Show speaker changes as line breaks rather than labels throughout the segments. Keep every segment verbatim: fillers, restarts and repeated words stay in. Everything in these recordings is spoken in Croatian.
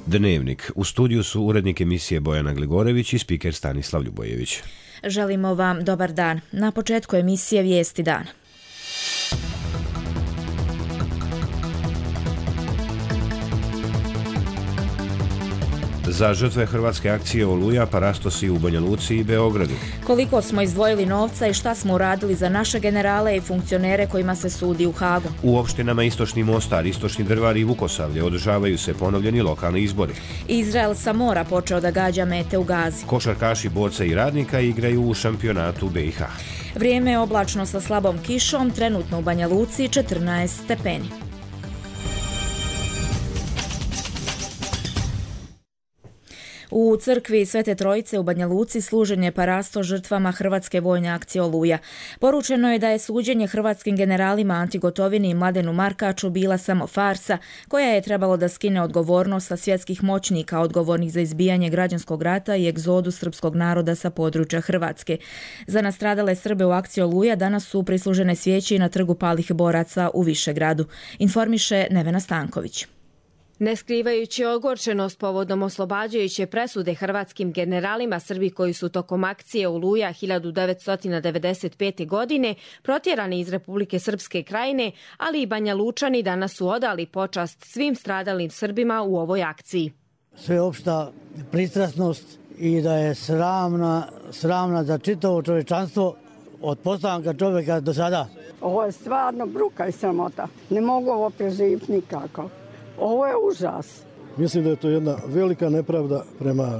Dnevnik. U studiju su urednik emisije Bojana Gligorević i spiker Stanislav Ljubojević.
Želimo vam dobar dan. Na početku emisije Vijesti dana.
Za žrtve hrvatske akcije Oluja parastosi u Banja Luci i Beogradu.
Koliko smo izdvojili novca i šta smo uradili za naše generale i funkcionere kojima se sudi u Hagu.
U opštinama Istočni Mostar, Istočni Drvar i Vukosavlje održavaju se ponovljeni lokalni izbori.
Izrael sa mora počeo da gađa mete u Gazi.
Košarkaši borca i radnika igraju u šampionatu B i H.
Vrijeme je oblačno sa slabom kišom, trenutno u Banja Luci četrnaest stepeni. U crkvi Svete Trojice u Banja Luci služen je parasto žrtvama hrvatske vojne akcije Oluja. Poručeno je da je suđenje hrvatskim generalima Anti Gotovini i Mladenu Markaču bila samo farsa, koja je trebalo da skine odgovornost sa svjetskih moćnika odgovornih za izbijanje građanskog rata i egzodu srpskog naroda sa područja Hrvatske. Za nastradale Srbe u akciji Oluja danas su prislužene svijeće i na trgu palih boraca u Višegradu, informiše Nevena Stanković.
Ne skrivajući ogorčenost povodom oslobađajuće presude hrvatskim generalima, Srbi koji su tokom akcije Oluja hiljadu devetsto devedeset pete. godine protjerani iz Republike Srpske Krajine, ali i Banja Lučani danas su odali počast svim stradalim Srbima u ovoj akciji.
Sveopšta pristrasnost i da je sramna, sramna za čitavo čovječanstvo od postanka čovjeka do sada.
Ovo je stvarno bruka i sramota. Ne mogu ovo preživjeti nikako. Ovo je užas.
Mislim da je to jedna velika nepravda prema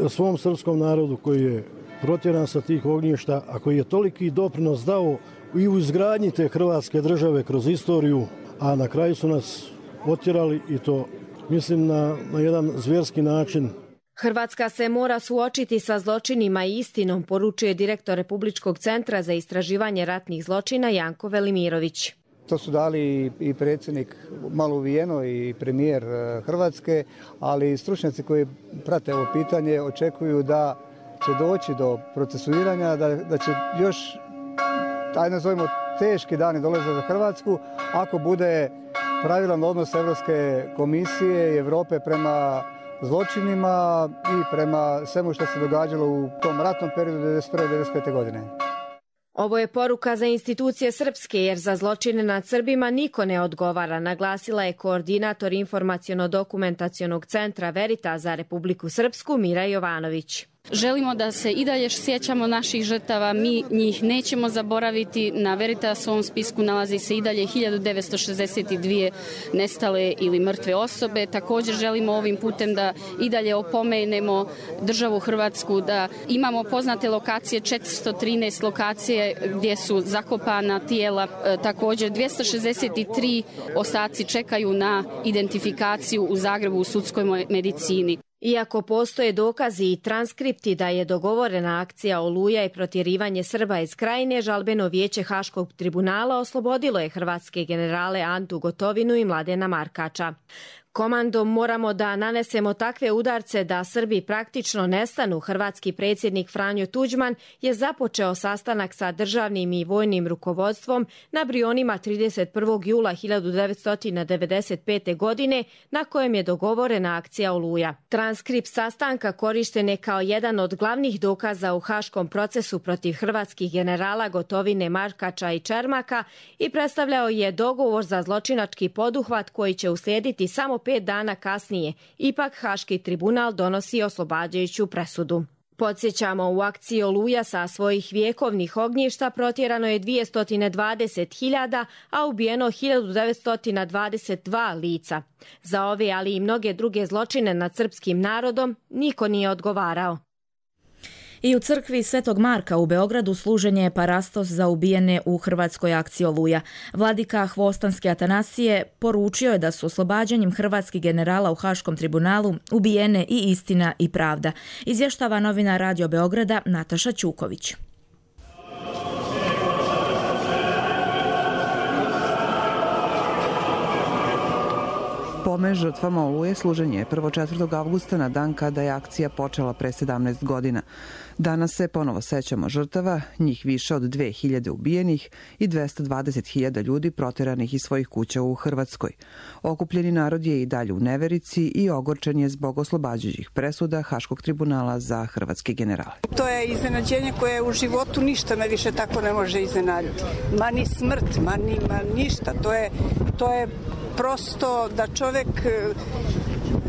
svom srpskom narodu koji je protjeran sa tih ognjišta, a koji je toliki doprinos dao i u izgradnji te hrvatske države kroz istoriju, a na kraju su nas otjerali i to mislim na, na jedan zvjerski način.
Hrvatska se mora suočiti sa zločinima i istinom, poručuje direktor Republičkog centra za istraživanje ratnih zločina Janko Velimirović.
To su dali i predsjednik malo uvijeno i premijer Hrvatske, ali stručnjaci koji prate ovo pitanje očekuju da će doći do procesuiranja, da, da će još, taj nazovimo, teški dani dolaze za Hrvatsku ako bude pravilan odnos Europske komisije i Europe prema zločinima i prema svemu što se događalo u tom ratnom periodu devedeset prve do devedeset pete. godine.
Ovo je poruka za institucije srpske, jer za zločine nad Srbima niko ne odgovara, naglasila je koordinator informaciono-dokumentacionog centra Veritas za Republiku Srpsku Mira Jovanović.
Želimo da se i dalje sjećamo naših žrtava, mi njih nećemo zaboraviti. Na Veritasovom spisku nalazi se i dalje hiljadu devetsto šezdeset dvije nestale ili mrtve osobe. Također želimo ovim putem da i dalje opomenemo državu Hrvatsku, da imamo poznate lokacije, četiristo trinaest lokacije gdje su zakopana tijela. Također dvjesto šezdeset tri ostaci čekaju na identifikaciju u Zagrebu u sudskoj medicini.
Iako postoje dokazi i transkripti da je dogovorena akcija Oluja i protjerivanje Srba iz Krajine, žalbeno vijeće Haškog tribunala oslobodilo je hrvatske generale Antu Gotovinu i Mladena Markača. Komandom moramo da nanesemo takve udarce da Srbi praktično nestanu. Hrvatski predsjednik Franjo Tuđman je započeo sastanak sa državnim i vojnim rukovodstvom na Brionima trideset prvog jula hiljadu devetsto devedeset pete. godine, na kojem je dogovorena akcija Oluja. Transkript sastanka korišten je kao jedan od glavnih dokaza u haškom procesu protiv hrvatskih generala Gotovine, Markača i Čermaka i predstavljao je dogovor za zločinački poduhvat koji će uslijediti samo pet dana kasnije. Ipak Haški tribunal donosi oslobađajuću presudu. Podsjećamo, u akciji Oluja sa svojih vjekovnih ognjišta protjerano je dvjesto dvadeset hiljada, a ubijeno hiljadu devetsto dvadeset dva lica. Za ove, ali i mnoge druge zločine nad srpskim narodom, niko nije odgovarao.
I u crkvi Svetog Marka u Beogradu služen je parastos za ubijene u hrvatskoj akciji Oluja. Vladika Hvostanski Atanasije poručio je da su oslobađanjem hrvatskih generala u Haškom tribunalu ubijene i istina i pravda. Izvještava novina Radio Beograda Nataša Ćuković.
Spomen žrtvama Oluje služen je prvog četvrtog avgusta na dan kada je akcija počela pre sedamnaest godina. Danas se ponovo sećamo žrtava, njih više od dve hiljade ubijenih i dvesta dvadeset hiljada ljudi proteranih iz svojih kuća u Hrvatskoj. Okupljeni narod je i dalje u neverici i ogorčen je zbog oslobađajućih presuda Haškog tribunala za hrvatske generale.
To je iznenađenje koje u životu ništa me više tako ne može iznenaditi. Ma ni smrt, ma ni ma ništa. To je, to je prosto da čovjek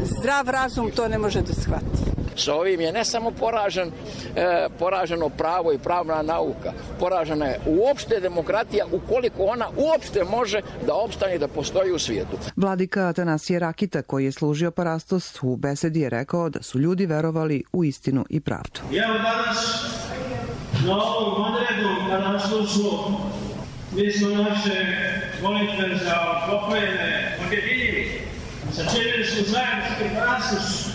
zdrav razum to ne može da shvati.
Sa ovim je ne samo poražen, e, poraženo pravo i pravna nauka, poražena je uopšte demokratija ukoliko ona uopšte može da opstane i da postoji u svijetu.
Vladika Atanasije Rakita, koji je služio Parastos, u besedi je rekao da su ljudi verovali u istinu i pravdu.
Evo danas na ovom odredu Parastovsku mi smo naše molitve za pokojene objedinili. Sačinili smo zajednički Parastos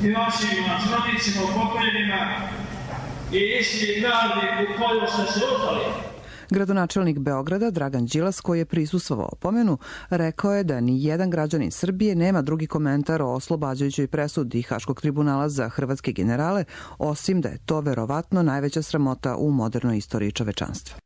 i očima, srodnicima, pokojnima i istini pravdi u koju ste se uzeli.
Gradonačelnik Beograda Dragan Đilas, koji je prisustvovao pomenu, rekao je da ni jedan građanin Srbije nema drugi komentar o oslobađajućoj presudi Haškog tribunala za hrvatske generale, osim da je to verovatno najveća sramota u modernoj istoriji čovečanstva.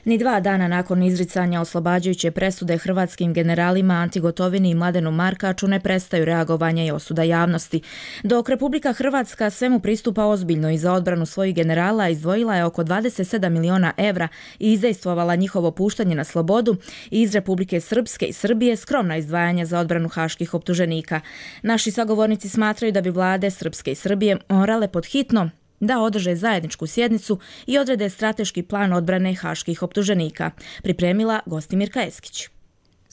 Ni dva dana nakon izricanja oslobađajuće presude hrvatskim generalima Anti Gotovini i Mladenu Markaču ne prestaju reagovanja i osuda javnosti. Dok Republika Hrvatska svemu pristupa ozbiljno i za odbranu svojih generala izdvojila je oko dvadeset sedam miliona evra i izdejstvovala njihovo puštanje na slobodu, i iz Republike Srpske i Srbije skromna izdvajanja za odbranu haških optuženika. Naši sagovornici smatraju da bi vlade Srpske i Srbije morale podhitno da održe zajedničku sjednicu i odrede strateški plan odbrane haških optuženika, pripremila Gostimirka Eskić.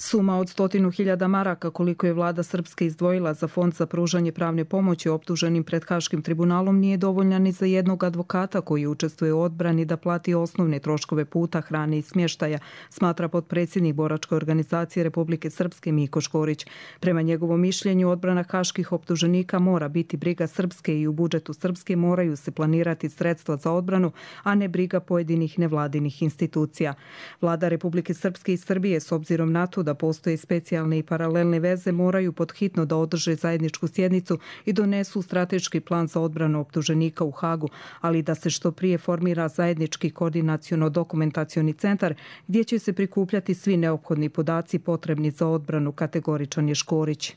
Suma od stotinu hiljada maraka koliko je vlada Srpske izdvojila za fond za pružanje pravne pomoći optuženim pred Haškim tribunalom nije dovoljna ni za jednog advokata koji učestvuje u odbrani da plati osnovne troškove puta, hrane i smještaja, smatra potpredsjednik boračke organizacije Republike Srpske Miko Škorić. Prema njegovom mišljenju, odbrana haških optuženika mora biti briga Srpske i u budžetu Srpske moraju se planirati sredstva za odbranu, a ne briga pojedinih nevladinih institucija. Vlada Republike Srpske i Srbije, s obzirom na to da postoje specijalne i paralelne veze, moraju podhitno da održe zajedničku sjednicu i donesu strateški plan za odbranu optuženika u Hagu, ali da se što prije formira zajednički koordinaciono-dokumentacioni centar gdje će se prikupljati svi neophodni podaci potrebni za odbranu, kategoričan je Škorić.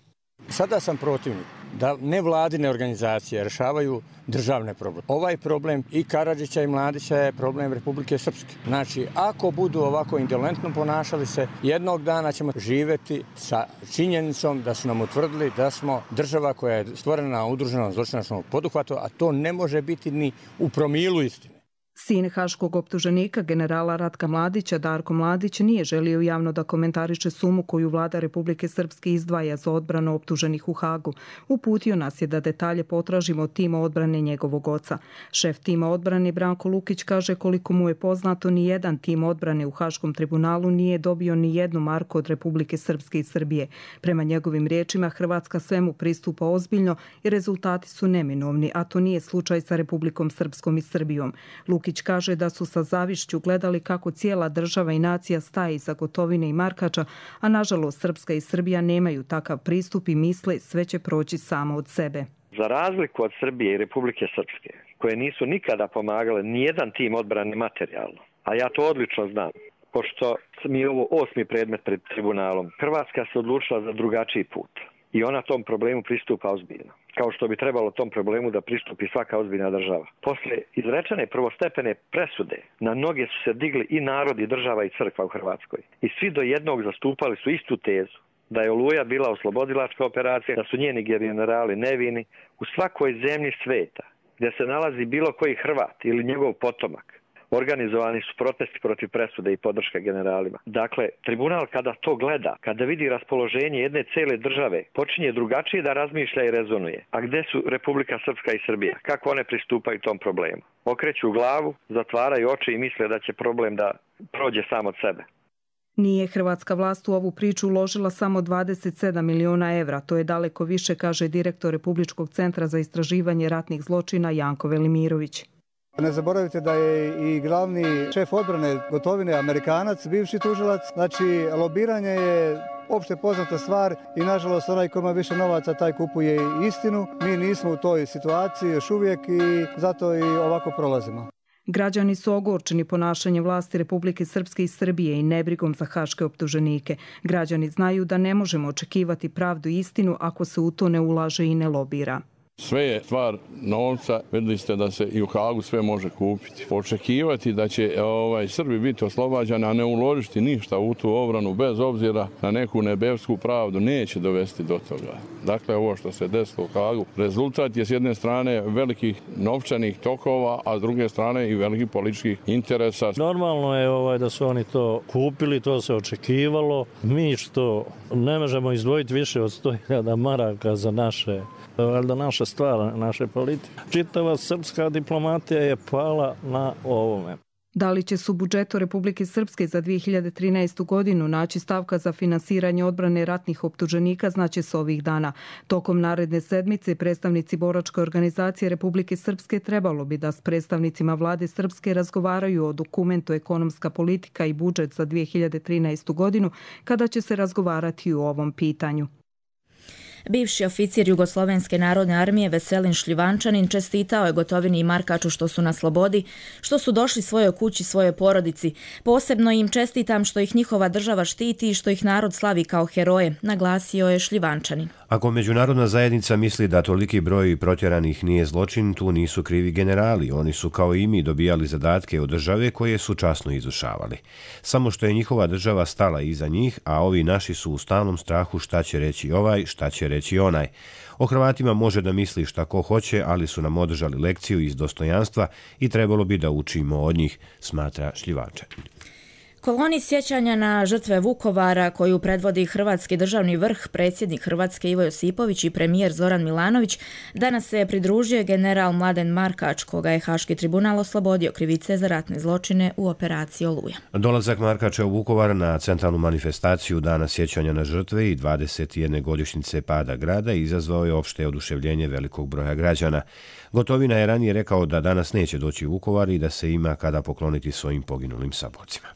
Sada sam protivnik da nevladine organizacije rješavaju državne probleme. Ovaj problem i Karadžića i Mladića je problem Republike Srpske. Znači, ako budu ovako indolentno ponašali se, jednog dana ćemo živjeti sa činjenicom da su nam utvrdili da smo država koja je stvorena na udruženom zločinačkom poduhvatu, a to ne može biti ni u promilu istine.
Sin haškog optuženika, generala Ratka Mladića, Darko Mladić, nije želio javno da komentariše sumu koju vlada Republike Srpske izdvaja za odbranu optuženih u Hagu. Uputio nas je da detalje potražimo od tima odbrane njegovog oca. Šef tima odbrane Branko Lukić kaže koliko mu je poznato, ni jedan tim odbrane u Haškom tribunalu nije dobio ni jednu marku od Republike Srpske i Srbije. Prema njegovim riječima, Hrvatska svemu pristupa ozbiljno i rezultati su neminovni, a to nije slučaj sa Republikom Srpskom i Srbijom. Lukić kaže da su sa zavišću gledali kako cijela država i nacija staje iza Gotovine i Markača, a nažalost Srpska i Srbija nemaju takav pristup i misle sve će proći samo od sebe.
Za razliku od Srbije i Republike Srpske, koje nisu nikada pomagale nijedan tim odbrane materijalno, a ja to odlično znam, pošto mi je ovo osmi predmet pred tribunalom, Hrvatska se odlučila za drugačiji put i ona tom problemu pristupa ozbiljno, kao što bi trebalo tom problemu da pristupi svaka ozbiljna država. Posle izrečene prvostepene presude na noge su se digli i narod i država i crkva u Hrvatskoj. I svi do jednog zastupali su istu tezu, da je Oluja bila oslobodilačka operacija, da su njeni generali nevini. U svakoj zemlji sveta gdje se nalazi bilo koji Hrvat ili njegov potomak, organizovani su protesti protiv presude i podrške generalima. Dakle, tribunal kada to gleda, kada vidi raspoloženje jedne cele države, počinje drugačije da razmišlja i rezonuje. A gde su Republika Srpska i Srbija? Kako one pristupaju tom problemu? Okreću glavu, zatvaraju oči i misle da će problem da prođe sam od sebe.
Nije hrvatska vlast u ovu priču uložila samo dvadeset sedam miliona evra. To je daleko više, kaže direktor Republičkog centra za istraživanje ratnih zločina Janko Velimirović.
Ne zaboravite da je i glavni šef odbrane Gotovine Amerikanac, bivši tužilac. Znači, lobiranje je opšte poznata stvar i nažalost onaj ko ima više novaca taj kupuje istinu. Mi nismo u toj situaciji još uvijek i zato i ovako prolazimo.
Građani su ogorčeni ponašanjem vlasti Republike Srpske i Srbije i nebrigom za haške optuženike. Građani znaju da ne možemo očekivati pravdu i istinu ako se u to ne ulaže i ne lobira.
Sve je stvar novca, vidjeli ste da se i u Hagu sve može kupiti. Očekivati da će ovaj, Srbi biti oslobađani, a ne uložiti ništa u tu obranu bez obzira na neku nebesku pravdu, neće dovesti do toga. Dakle, ovo što se desilo u Hagu, rezultat je s jedne strane velikih novčanih tokova, a s druge strane i velikih političkih interesa.
Normalno je ovaj, da su oni to kupili, to se očekivalo. Mi što ne možemo izdvojiti više od sto hiljada maraka za naše valjda naša stvar, naše politike. Čitava srpska diplomatija je pala na ovome.
Da li će se u budžetu Republike Srpske za dvije hiljade trinaestu. godinu naći stavka za finansiranje odbrane ratnih optuženika, znaće se ovih dana. Tokom naredne sedmice predstavnici boračke organizacije Republike Srpske trebalo bi da s predstavnicima vlade Srpske razgovaraju o dokumentu Ekonomska politika i budžet za dvije hiljade trinaestu. godinu, kada će se razgovarati o ovom pitanju.
Bivši oficir Jugoslovenske narodne armije Veselin Šljivančanin čestitao je Gotovini i Markaču što su na slobodi, što su došli svojoj kući, svojoj porodici. Posebno im čestitam što ih njihova država štiti i što ih narod slavi kao heroje, naglasio je Šljivančanin.
Ako međunarodna zajednica misli da toliki broj protjeranih nije zločin, tu nisu krivi generali. Oni su kao i mi dobijali zadatke od države koje su časno izvršavali. Samo što je njihova država stala iza njih, a ovi naši su u stalnom strahu šta će reći ovaj, šta će reći onaj. O Hrvatima može da misli šta ko hoće, ali su nam održali lekciju iz dostojanstva i trebalo bi da učimo od njih, smatra Šljivančanin.
Koloni sjećanja na žrtve Vukovara koju predvodi hrvatski državni vrh, predsjednik Hrvatske Ivo Josipović i premijer Zoran Milanović, danas se pridružio general Mladen Markač, koga je Haški tribunal oslobodio krivice za ratne zločine u operaciji Oluja.
Dolazak Markača u Vukovar na centralnu manifestaciju Dana sjećanja na žrtve i dvadeset jedne godišnjice pada grada izazvao je opšte oduševljenje velikog broja građana. Gotovina je ranije rekao da danas neće doći u Vukovar i da se ima kada pokloniti svojim poginulim saborcima.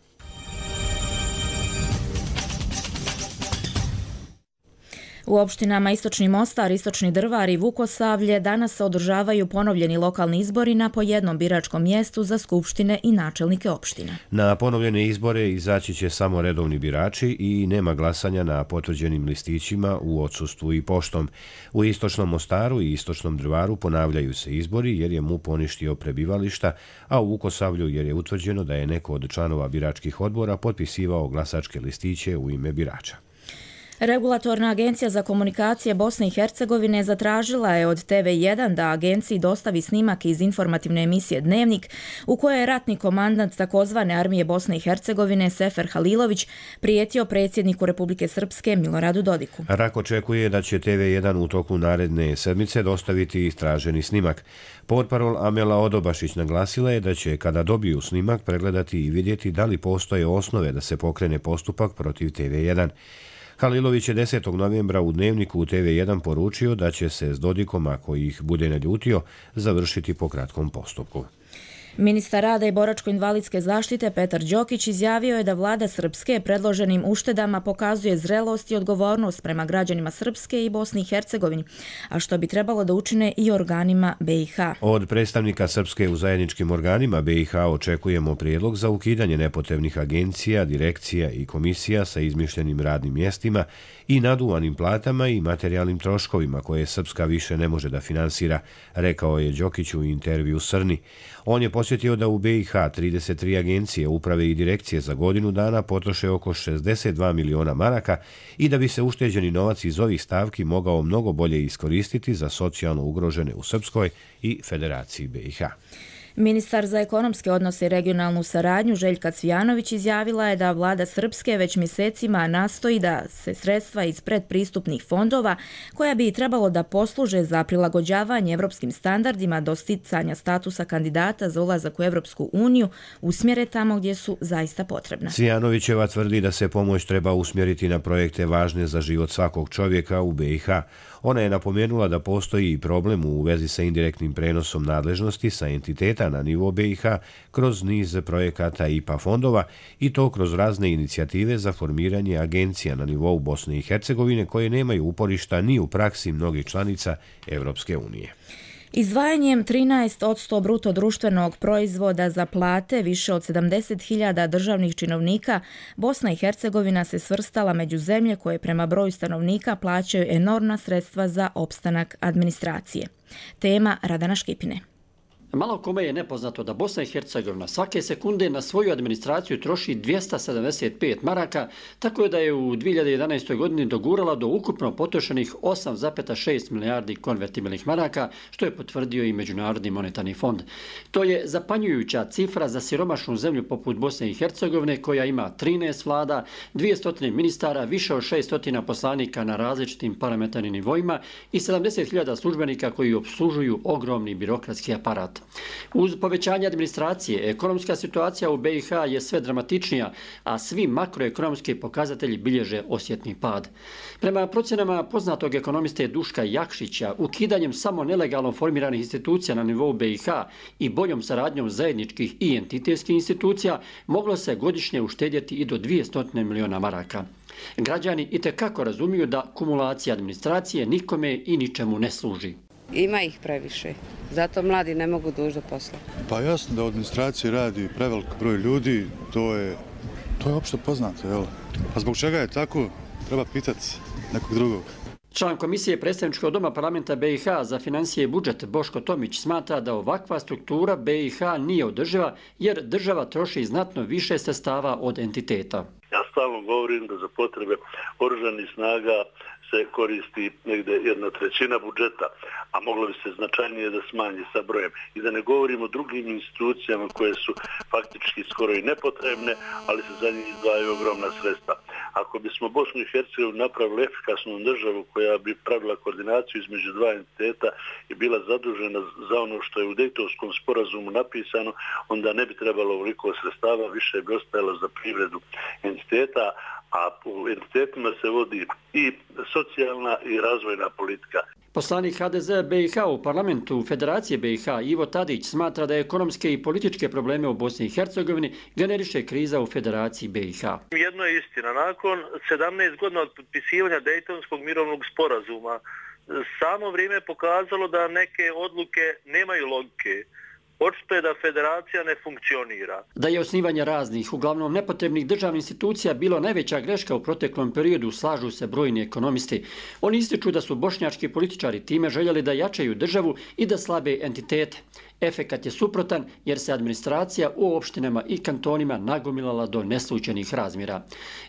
U opštinama Istočni Mostar, Istočni Drvar i Vukosavlje danas se održavaju ponovljeni lokalni izbori na po jednom biračkom mjestu za skupštine i načelnike opština.
Na ponovljene izbore izaći će samo redovni birači i nema glasanja na potvrđenim listićima u odsustvu i poštom. U Istočnom Mostaru i Istočnom Drvaru ponavljaju se izbori jer je M U P poništio prebivališta, a u Vukosavlju jer je utvrđeno da je neko od članova biračkih odbora potpisivao glasačke listiće u ime birača.
Regulatorna agencija za komunikacije Bosne i Hercegovine zatražila je od T V jedan da agenciji dostavi snimak iz informativne emisije Dnevnik u kojoj je ratni komandant takozvane armije Bosne i Hercegovine Sefer Halilović prijetio predsjedniku Republike Srpske Miloradu Dodiku.
Rak očekuje da će T V jedan u toku naredne sedmice dostaviti istraženi snimak. Portparol Amela Odobašić naglasila je da će kada dobiju snimak pregledati i vidjeti da li postoje osnove da se pokrene postupak protiv T V jedan. Halilović je desetog novembra u Dnevniku u T V jedan poručio da će se s Dodikom, ako ih bude naljutio, završiti po kratkom postupku.
Ministar rada i boračko-invalidske zaštite Petar Đokić izjavio je da vlada Srpske predloženim uštedama pokazuje zrelost i odgovornost prema građanima Srpske i Bosni i Hercegovini, a što bi trebalo da učine i organima B i H.
Od predstavnika Srpske u zajedničkim organima B i H očekujemo prijedlog za ukidanje nepotrebnih agencija, direkcija i komisija sa izmišljenim radnim mjestima i naduvanim platama i materijalnim troškovima koje Srpska više ne može da finansira, rekao je Đokić u intervju Srni. On je posjetio da u B i H trideset tri agencije, uprave i direkcije za godinu dana potroše oko šezdeset dva miliona maraka i da bi se ušteđeni novac iz ovih stavki mogao mnogo bolje iskoristiti za socijalno ugrožene u Srpskoj i Federaciji B i H.
Ministar za ekonomske odnose i regionalnu saradnju Željka Cvijanović izjavila je da vlada Srpske već mjesecima nastoji da se sredstva iz predpristupnih fondova, koja bi trebalo da posluže za prilagođavanje evropskim standardima do sticanja statusa kandidata za ulazak u Evropsku uniju, usmjere tamo gdje su zaista potrebna.
Cvijanovićeva tvrdi da se pomoć treba usmjeriti na projekte važne za život svakog čovjeka u B i H. Ona je napomenula da postoji i problem u vezi sa indirektnim prenosom nadležnosti sa entiteta stanovnika na nivo B i H kroz niz projekata I P A fondova i to kroz razne inicijative za formiranje agencija na nivou Bosne i Hercegovine koje nemaju uporišta ni u praksi mnogih članica Evropske unije.
Izdvajanjem trinaest posto bruto društvenog proizvoda za plate više od sedamdeset hiljada državnih činovnika, Bosna i Hercegovina se svrstala među zemlje koje prema broju stanovnika plaćaju enormna sredstva za opstanak administracije. Tema Radana Škipine.
Malo kome je nepoznato da Bosna i Hercegovina svake sekunde na svoju administraciju troši dvjesto sedamdeset pet maraka, tako da je u dvije hiljade jedanaestoj godini dogurala do ukupno potrošenih osam zarez šest milijardi konvertibilnih maraka, što je potvrdio i Međunarodni monetarni fond. To je zapanjujuća cifra za siromašnu zemlju poput Bosne i Hercegovine, koja ima trinaest vlada, dvjesto ministara, više od šesto poslanika na različitim parlamentarnim nivoima i sedamdeset hiljada službenika koji opslužuju ogromni birokratski aparat. Uz povećanje administracije, ekonomska situacija u B i H je sve dramatičnija, a svi makroekonomski pokazatelji bilježe osjetni pad. Prema procjenama poznatog ekonomiste Duška Jakšića, ukidanjem samo nelegalno formiranih institucija na nivou B i H i boljom saradnjom zajedničkih i entitetskih institucija moglo se godišnje uštedjeti i do dvjesto miliona maraka. Građani itekako razumiju da kumulacija administracije nikome i ničemu ne služi.
Ima ih previše, zato mladi ne mogu doći do posla.
Pa jasno da u administraciji radi prevelik broj ljudi, to je, to je opšte poznato, jel? A zbog čega je tako, treba pitati nekog drugog.
Član Komisije predstavničkog doma parlamenta B i H za financije i budžet Boško Tomić smatra da ovakva struktura B i H nije održiva jer država troši znatno više sredstava od entiteta.
Ja stalno govorim da za potrebe oružanih snaga se koristi negde jedna trećina budžeta, a moglo bi se značajnije da smanji sa brojem. I da ne govorimo o drugim institucijama koje su faktički skoro i nepotrebne, ali se za njih izdvajaju ogromna sredstva. Ako bismo Bosnu i Hercegovinu napravili efikasnu državu koja bi pravila koordinaciju između dva entiteta i bila zadužena za ono što je u Dejtonskom sporazumu napisano, onda ne bi trebalo ovoliko sredstava, više bi ostajalo za privredu entiteta, a u entitetima se vodi i socijalna i razvojna politika.
Poslanik H D Z B i H u parlamentu Federacije B i H Ivo Tadić smatra da ekonomske i političke probleme u Bosni i Hercegovini generiše kriza u Federaciji B i H.
Jedno je istina, nakon sedamnaest godina od potpisivanja Dejtonskog mirovnog sporazuma, samo vrijeme je pokazalo da neke odluke nemaju logike. Očito je da federacija ne funkcionira.
Da je osnivanje raznih, uglavnom nepotrebnih državnih institucija bilo najveća greška u proteklom periodu, slažu se brojni ekonomisti. Oni ističu da su bošnjački političari time željeli da jačaju državu i da slabe entitete. Efekat je suprotan jer se administracija u opštinama i kantonima nagomilala do neslučajnih razmjera.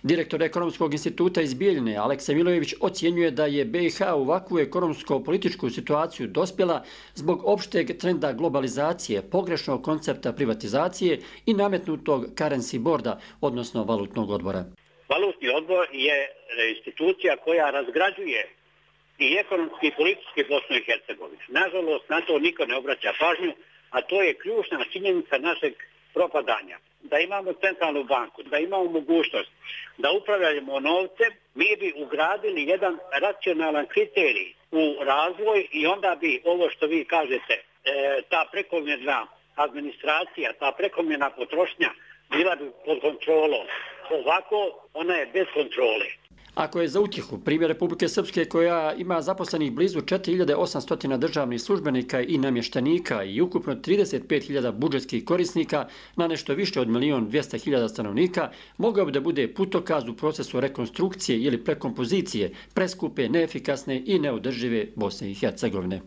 Direktor Ekonomskog instituta iz Bijeljine, Aleksa Milojević, ocjenjuje da je B i H u ovakvu ekonomsko-političku situaciju dospjela zbog opšteg trenda globalizacije, pogrešnog koncepta privatizacije i nametnutog currency boarda, odnosno valutnog odbora.
Valutni odbor je institucija koja razgrađuje i ekonomski i politički Bosnu i Hercegovinu. Nažalost, na to niko ne obraća pažnju, a to je ključna činjenica našeg propadanja. Da imamo centralnu banku, da imamo mogućnost da upravljamo novcem, mi bi ugradili jedan racionalan kriterij u razvoj i onda bi ovo što vi kažete, e, ta prekomjerna administracija, ta prekomjerna potrošnja bila bi pod kontrolom. Ovako ona je bez kontrole.
Ako je za utjehu primjer Republike Srpske, koja ima zaposlenih blizu četiri hiljade osamsto državnih službenika i namještenika i ukupno trideset pet hiljada budžetskih korisnika na nešto više od milion dvjesto hiljada stanovnika, mogao bi da bude putokaz u procesu rekonstrukcije ili prekompozicije preskupe, neefikasne i neodržive Bosne i Hercegovine.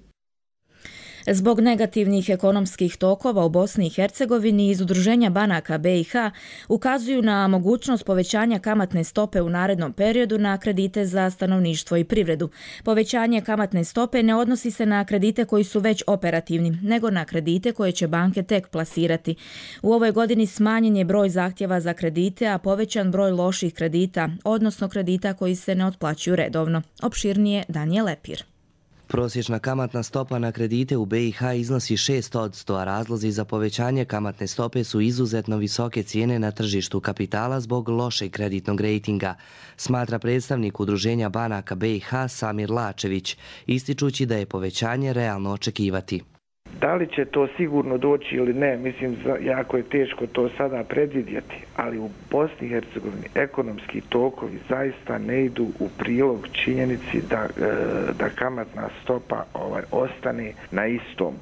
Zbog negativnih ekonomskih tokova u Bosni i Hercegovini iz Udruženja banaka B i H ukazuju na mogućnost povećanja kamatne stope u narednom periodu na kredite za stanovništvo i privredu. Povećanje kamatne stope ne odnosi se na kredite koji su već operativni, nego na kredite koje će banke tek plasirati. U ovoj godini smanjen je broj zahtjeva za kredite, a povećan broj loših kredita, odnosno kredita koji se ne otplaćuju redovno. Opširnije Danijel Lepir.
Prosječna kamatna stopa na kredite u B i H iznosi šest posto, a razlozi za povećanje kamatne stope su izuzetno visoke cijene na tržištu kapitala zbog lošeg kreditnog rejtinga, smatra predstavnik Udruženja banaka B i H Samir Lačević, ističući da je povećanje realno očekivati.
Da li će to sigurno doći ili ne, mislim, jako je teško to sada predvidjeti, ali u Bosni i Hercegovini ekonomski tokovi zaista ne idu u prilog činjenici da, da kamatna stopa ovaj, ostane na istom.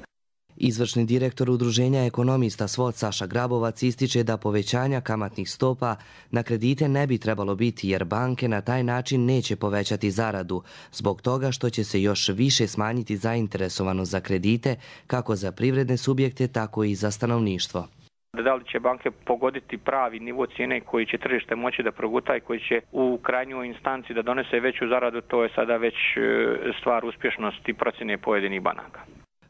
Izvršni direktor Udruženja ekonomista SWOT Saša Grabovac ističe da povećanja kamatnih stopa na kredite ne bi trebalo biti jer banke na taj način neće povećati zaradu, zbog toga što će se još više smanjiti zainteresovanost za kredite kako za privredne subjekte, tako i za stanovništvo.
Da li će banke pogoditi pravi nivo cijene koji će tržište moći da proguta i koji će u krajnjoj instanci da donese veću zaradu, to je sada već stvar uspješnosti procjene pojedinih banaka.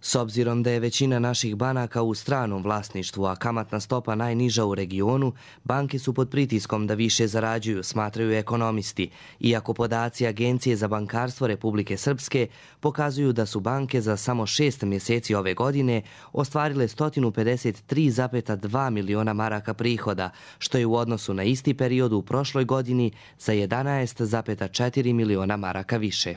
S obzirom da je većina naših banaka u stranom vlasništvu, a kamatna stopa najniža u regionu, banke su pod pritiskom da više zarađuju, smatraju ekonomisti, iako podaci Agencije za bankarstvo Republike Srpske pokazuju da su banke za samo šest mjeseci ove godine ostvarile sto pedeset tri zarez dva miliona maraka prihoda, što je u odnosu na isti period u prošloj godini za jedanaest zarez četiri miliona maraka više.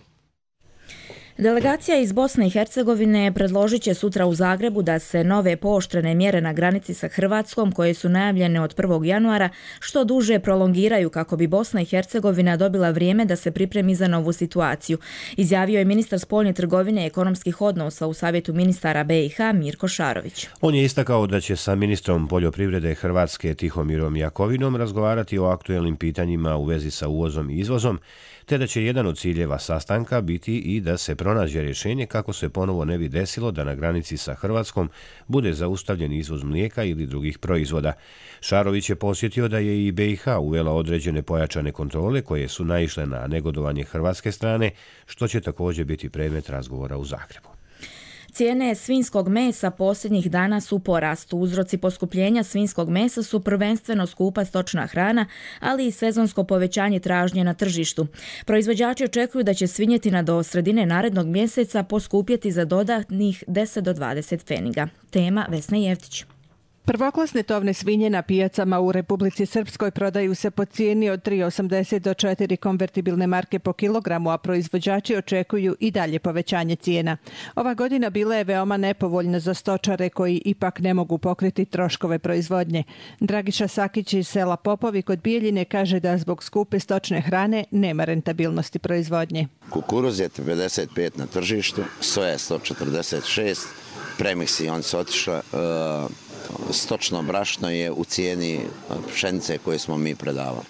Delegacija iz Bosne i Hercegovine predložit će sutra u Zagrebu da se nove pooštrene mjere na granici sa Hrvatskom, koje su najavljene od prvog januara, što duže prolongiraju kako bi Bosna i Hercegovina dobila vrijeme da se pripremi za novu situaciju, izjavio je ministar spoljne trgovine i ekonomskih odnosa u Savjetu ministara B i H Mirko Šarović.
On je istakao da će sa ministrom poljoprivrede Hrvatske Tihomirom Jakovinom razgovarati o aktuelnim pitanjima u vezi sa uvozom i izvozom, te da će jedan od ciljeva sastanka biti i da se pronađe rješenje kako se ponovo ne bi desilo da na granici sa Hrvatskom bude zaustavljen izvoz mlijeka ili drugih proizvoda. Šarović je posjetio da je i B i H uvela određene pojačane kontrole koje su naišle na negodovanje hrvatske strane, što će također biti predmet razgovora u Zagrebu.
Cijene svinjskog mesa posljednjih dana su u porastu. Uzroci poskupljenja svinjskog mesa su prvenstveno skupa stočna hrana, ali i sezonsko povećanje tražnje na tržištu. Proizvođači očekuju da će svinjetina do sredine narednog mjeseca poskupjeti za dodatnih deset do dvadeset pfeniga. Tema Vesna Jevtić.
Prvoklasne tovne svinje na pijacama u Republici Srpskoj prodaju se po cijeni od tri osamdeset do četiri konvertibilne marke po kilogramu, a proizvođači očekuju i dalje povećanje cijena. Ova godina bila je veoma nepovoljna za stočare koji ipak ne mogu pokriti troškove proizvodnje. Dragiša Sakić iz sela Popovi kod Bijeljine kaže da zbog skupe stočne hrane nema rentabilnosti proizvodnje.
Kukuruz je pedeset pet na tržištu, soja sto četrdeset šest, premiksi on se otišla, uh, stočno brašno je u cijeni pšenice koje smo mi predavali.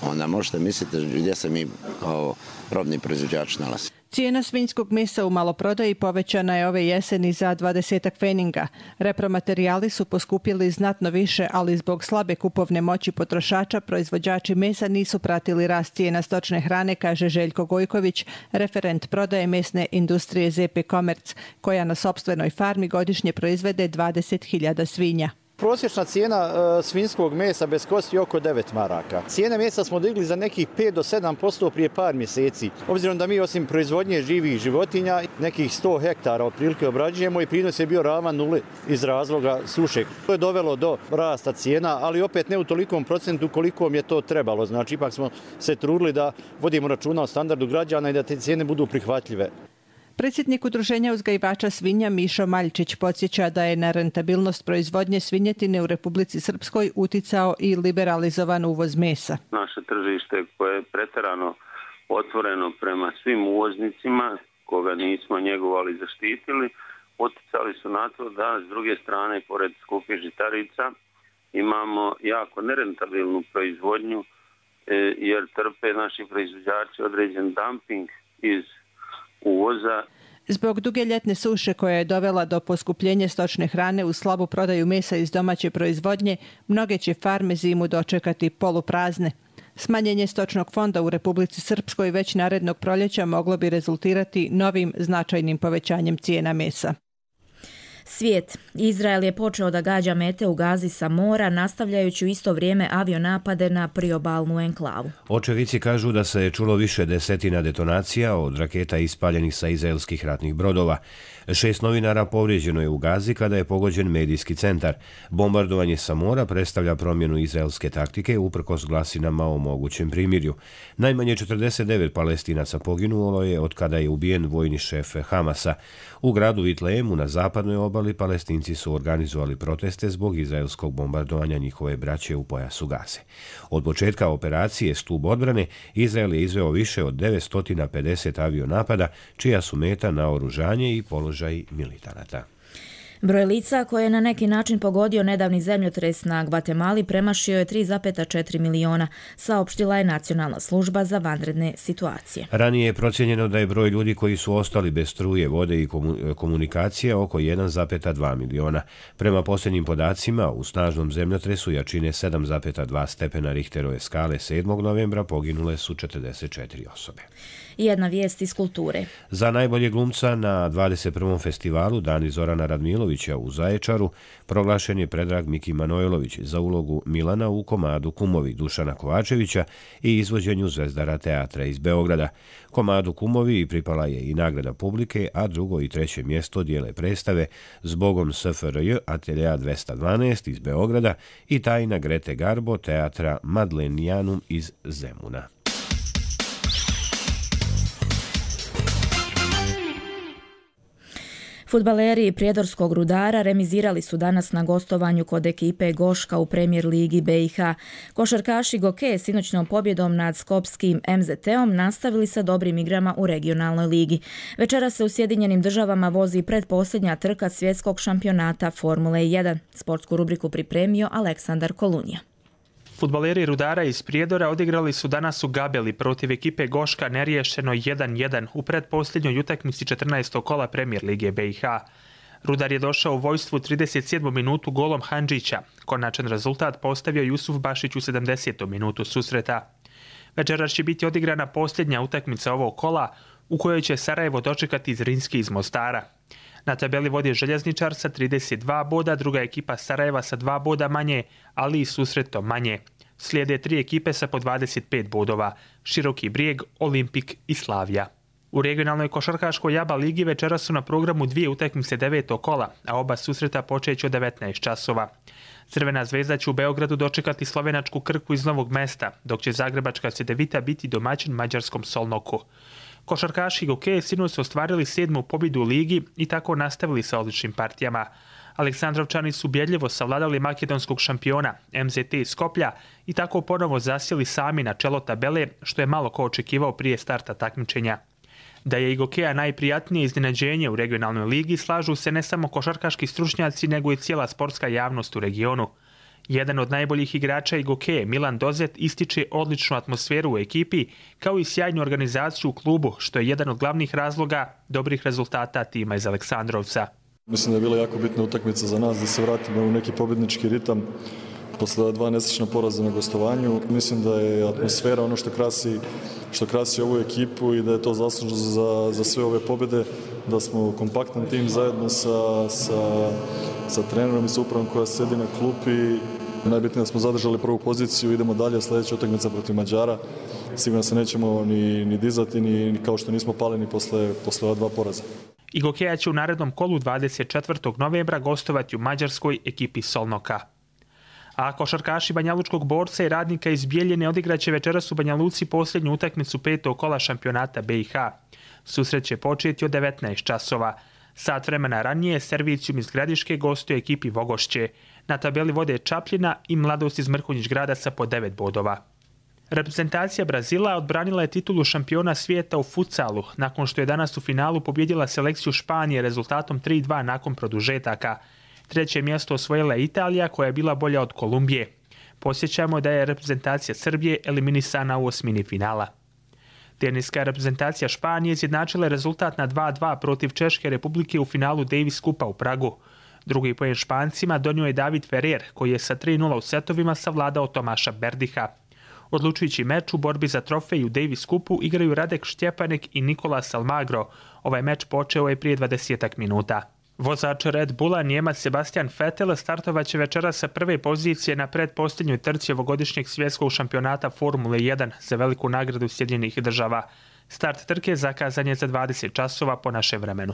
Onda možete misliti gdje se mi kao robni proizvođač nalazi.
Cijena svinjskog mesa u maloprodaji povećana je ove jeseni za dvadesetak pfeninga. Repromaterijali su poskupili znatno više, ali zbog slabe kupovne moći potrošača proizvođači mesa nisu pratili rast cijena stočne hrane, kaže Željko Gojković, referent prodaje mesne industrije Z P Komerc, koja na sopstvenoj farmi godišnje proizvede dvadeset hiljada svinja.
Prosječna cijena e, svinjskog mesa bez kosti je oko devet maraka. Cijene mesa smo digli za nekih pet do sedam posto prije par mjeseci. Obzirom da mi osim proizvodnje živih životinja nekih sto hektara otprilike obrađujemo i prinos je bio ravan nuli iz razloga suše. To je dovelo do rasta cijena, ali opet ne u tolikom procentu koliko mi je to trebalo. Znači ipak smo se trudili da vodimo računa o standardu građana i da te cijene budu prihvatljive.
Predsjednik Udruženja uzgajivača svinja Mišo Maljčić podsjeća da je na rentabilnost proizvodnje svinjetine u Republici Srpskoj uticao i liberalizovan uvoz mesa.
Naše tržište koje je pretjerano otvoreno prema svim uvoznicima, koga nismo njegovali i zaštitili, uticali su na to da s druge strane, pored skupih žitarica, imamo jako nerentabilnu proizvodnju jer trpe naši proizvođači određen dumping iz uvoza.
Zbog duge ljetne suše koja je dovela do poskupljenja stočne hrane u slabu prodaju mesa iz domaće proizvodnje, mnoge će farme zimu dočekati poluprazne. Smanjenje stočnog fonda u Republici Srpskoj već narednog proljeća moglo bi rezultirati novim značajnim povećanjem cijena mesa.
Svijet. Izrael je počeo da gađa mete u Gazi sa mora, nastavljajući u isto vrijeme avionapade na priobalnu enklavu.
Očevici kažu da se čulo više desetina detonacija od raketa ispaljenih sa izraelskih ratnih brodova. Šest novinara povrijeđeno je u Gazi kada je pogođen medijski centar. Bombardovanje sa mora predstavlja promjenu izraelske taktike uprkos glasinama o mogućem primirju. Najmanje četrdeset devet Palestinaca poginulo je od kada je ubijen vojni šef Hamasa. U gradu Vitlejemu na zapadnoj obali obali Palestinci su organizovali proteste zbog izraelskog bombardovanja njihove braće u pojasu Gaze. Od početka operacije Stup odbrane Izrael je izveo više od devetsto pedeset avionapada, čija su meta naoružanje i položaj militanata.
Broj lica koje je na neki način pogodio nedavni zemljotres na Gvatemali premašio je tri zarez četiri miliona, saopštila je Nacionalna služba za vanredne situacije.
Ranije je procijenjeno da je broj ljudi koji su ostali bez struje, vode i komunikacije oko jedan zarez dva miliona. Prema posljednjim podacima, u snažnom zemljotresu jačine sedam zarez dva stepena Richterove skale sedmog novembra poginule su četrdeset četiri osobe.
Jedna vijest iz kulture.
Za najbolje glumca na dvadeset prvom festivalu Dani Zorana Radmilovića u Zaječaru proglašen je Predrag Miki Manojlović za ulogu Milana u komadu Kumovi Dušana Kovačevića i izvođenju Zvezdara teatra iz Beograda. Komadu Kumovi pripala je i nagrada publike, a drugo i treće mjesto dijele predstave Zbogom S F R J Ateljea dvesta dvanaest iz Beograda i Tajna Grete Garbo teatra Madlenijanum iz Zemuna.
Fudbaleri Prijedorskog Rudara remizirali su danas na gostovanju kod ekipe Goška u Premier ligi B i H. Košarkaši Goke sinoćnom pobjedom nad skopskim M Z T-om nastavili sa dobrim igrama u regionalnoj ligi. Večera se u Sjedinjenim državama vozi predposljednja trka svjetskog šampionata Formule jedan. Sportsku rubriku pripremio Aleksandar Kolunija.
Fudbaleri Rudara iz Prijedora odigrali su danas u Gabeli protiv ekipe Goška neriješeno jedan jedan u predposljednjoj utakmici četrnaestog kola Premier lige B i H. Rudar je došao u vojstvu u trideset sedmoj minutu golom Handžića. Konačan rezultat postavio Jusuf Bašić u sedamdesetoj minutu susreta. Večeras će biti odigrana posljednja utakmica ovog kola u kojoj će Sarajevo dočekati Zrinski iz Mostara. Na tabeli vodi Željezničar sa trideset dva boda, druga ekipa Sarajeva sa dva boda manje, ali i susretom manje. Slijede tri ekipe sa po dvadeset pet bodova, Široki Brijeg, Olimpik i Slavija. U regionalnoj košarkaškoj Jaba ligi večera su na programu dvije utakmice devetog kola, a oba susreta počeće od devetnaest časova. Crvena zvezda će u Beogradu dočekati slovenačku Krku iz Novog Mesta, dok će zagrebačka Cedevita biti domaćin mađarskom Solnoku. Košarkaši Goke sinoć su ostvarili sedmu pobjedu u ligi i tako nastavili sa odličnim partijama. Aleksandrovčani su ubjedljivo savladali makedonskog šampiona M Z T iz Skoplja i tako ponovo zasjeli sami na čelo tabele, što je malo ko očekivao prije starta takmičenja. Da je i Gokea najprijatnije iznenađenje u regionalnoj ligi slažu se ne samo košarkaški stručnjaci, nego i cijela sportska javnost u regionu. Jedan od najboljih igrača i Goke, Milan Dozet, ističe odličnu atmosferu u ekipi, kao i sjajnu organizaciju u klubu, što je jedan od glavnih razloga dobrih rezultata tima iz Aleksandrovca.
Mislim da je bila jako bitna utakmica za nas da se vratimo u neki pobjednički ritam posle dva nesečna poraza na gostovanju. Mislim da je atmosfera ono što krasi, što krasi ovu ekipu i da je to zaslužno za, za sve ove pobjede, da smo kompaktan tim zajedno sa, sa, sa trenerom i sa upravom koja sedi na klupi. Najbitnije da smo zadržali prvu poziciju, idemo dalje, sljedeća utakmica protiv Mađara. Sigurno se nećemo ni, ni dizati, ni, ni kao što nismo pali ni posle, posle ova dva poraza.
I Gokeja će u narednom kolu dvadeset četvrtog novembra gostovati u mađarskoj ekipi Solnoka. A košarkaši Banjalučkog Borca i Radnika iz Bijeljine odigraće večeras u Banja Luci posljednju utakmicu petog kola šampionata B i H. Susret će početi od devetnaest časova. Sat vremena ranije Servicijum iz Gradiške gostuje ekipi Vogošće. Na tabeli vode Čapljina i Mladost iz Mrkonjić Grada sa po devet bodova. Reprezentacija Brazila odbranila je titulu šampiona svijeta u futsalu, nakon što je danas u finalu pobjedila selekciju Španije rezultatom tri dva nakon produžetaka. Treće mjesto osvojila je Italija, koja je bila bolja od Kolumbije. Posjećamo da je reprezentacija Srbije eliminisana u osmini finala. Teniska reprezentacija Španije izjednačila je rezultat na dva dva protiv Češke Republike u finalu Davis Kupa u Pragu. Drugi pojen Špancima donio je David Ferrer, koji je sa tri nula u setovima savladao Tomaša Berdiha. Odlučujući meč u borbi za trofej u Davis Kupu igraju Radek Štjepanek i Nikolas Almagro. Ovaj meč počeo je prije dvadesetak minuta. Vozač Red Bulla Njemac Sebastian Vettel startovaće večera sa prve pozicije na predposljednjoj trci ovogodišnjeg svjetskog šampionata Formule jedan za veliku nagradu Sjedinjenih država. Start trke zakazan je za dvadeset časova po našem vremenu.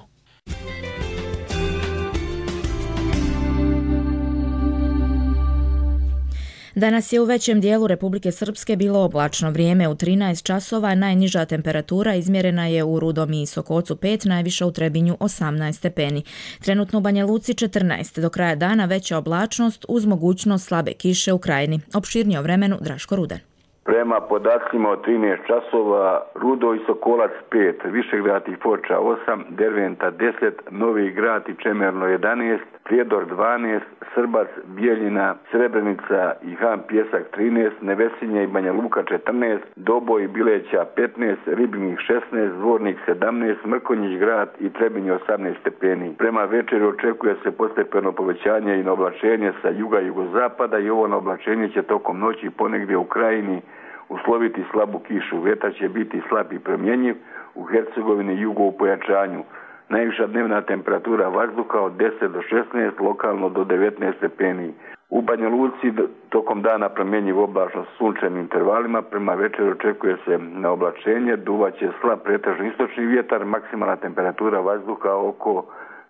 Danas je u većem dijelu Republike Srpske bilo oblačno vrijeme. U trinaest časova najniža temperatura izmjerena je u Rudom i Sokocu pet, najviša u Trebinju osamnaest stepeni. Trenutno u Banja Luci četrnaest, do kraja dana veća oblačnost uz mogućnost slabe kiše u Krajini. Opširnije o vremenu Draško Rudan.
Prema podacima od trinaest časova, Rudo i Sokolac pet, Višegrad i Foča osam, Derventa deset, Novi Grad i Čemerno jedanaest, Prijedor dvanaest, Srbac, Bijeljina, Srebrenica i Han Pjesak trinaest, Nevesinje i Banja Luka četrnaest, Doboj i Bileća petnaest, Ribnik šesnaest, Dvornik sedamnaest, Mrkonjić Grad i Trebinje osamnaest stepeni. Prema večeri očekuje se postepeno povećanje i oblačenje sa juga i jugozapada i ovo oblačenje će tokom noći ponegdje u Krajini usloviti slabu kišu. Vjetar će biti slab i promjenjiv, u Hercegovini i jugu u pojačanju. Najviša dnevna temperatura vazduha od deset do šesnaest, lokalno do devetnaest stepeni. U Banja Luci tokom dana promjenjiv oblačno s sunčanim intervalima, prema večeri očekuje se na oblačenje, duvaće slab pretežno istočni vjetar, maksimalna temperatura vazduha oko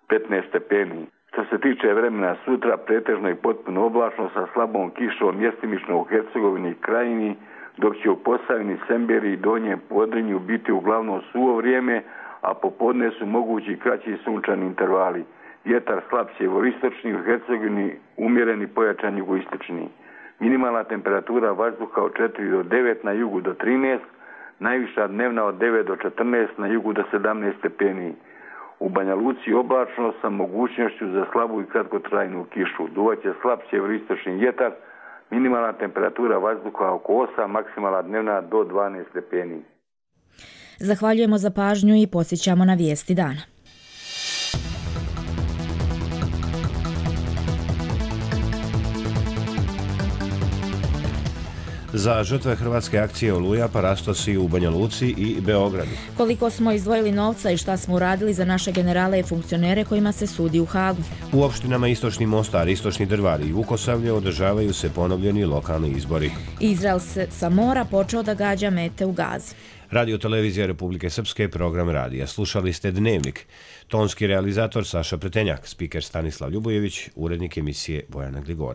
petnaest stepeni. Što se tiče vremena sutra, pretežno i potpuno oblačno sa slabom kišom mjestimično u Hercegovini i Krajini, dok će u Posavini, Semberi i Donjem Podrinju biti uglavnom suvo vrijeme, a popodne su mogući kraći sunčani intervali. Vjetar slab sjeveroistočni, u Hercegovini umjereni pojačan jugoistočni. Minimalna temperatura vazduha od četiri do devet, na jugu do trinaest, najviša dnevna od devet do četrnaest, na jugu do sedamnaest stepeni. U Banja Luci oblačno sa mogućnošću za slabu i kratkotrajnu kišu. Duvaće slab sjeveroistočni vjetar, minimalna temperatura vazduha oko osam, maksimalna dnevna do dvanaest stepeni.
Zahvaljujemo za pažnju i podsjećamo na vijesti dana.
Za žrtve hrvatske akcije Oluja parastosi u Banja Luci i Beogradu.
Koliko smo izdvojili novca i šta smo uradili za naše generale i funkcionere kojima se sudi u Hagu.
U opštinama Istočni Mostar, Istočni Drvar i Vukosavlje održavaju se ponovljeni lokalni izbori.
Izrael se sa mora počeo da gađa mete u Gazi.
Radio Televizija Republike Srpske, program radija. Slušali ste Dnevnik. Tonski realizator Saša Pretenjak, spiker Stanislav Ljubojević, urednik emisije Bojana Gligore.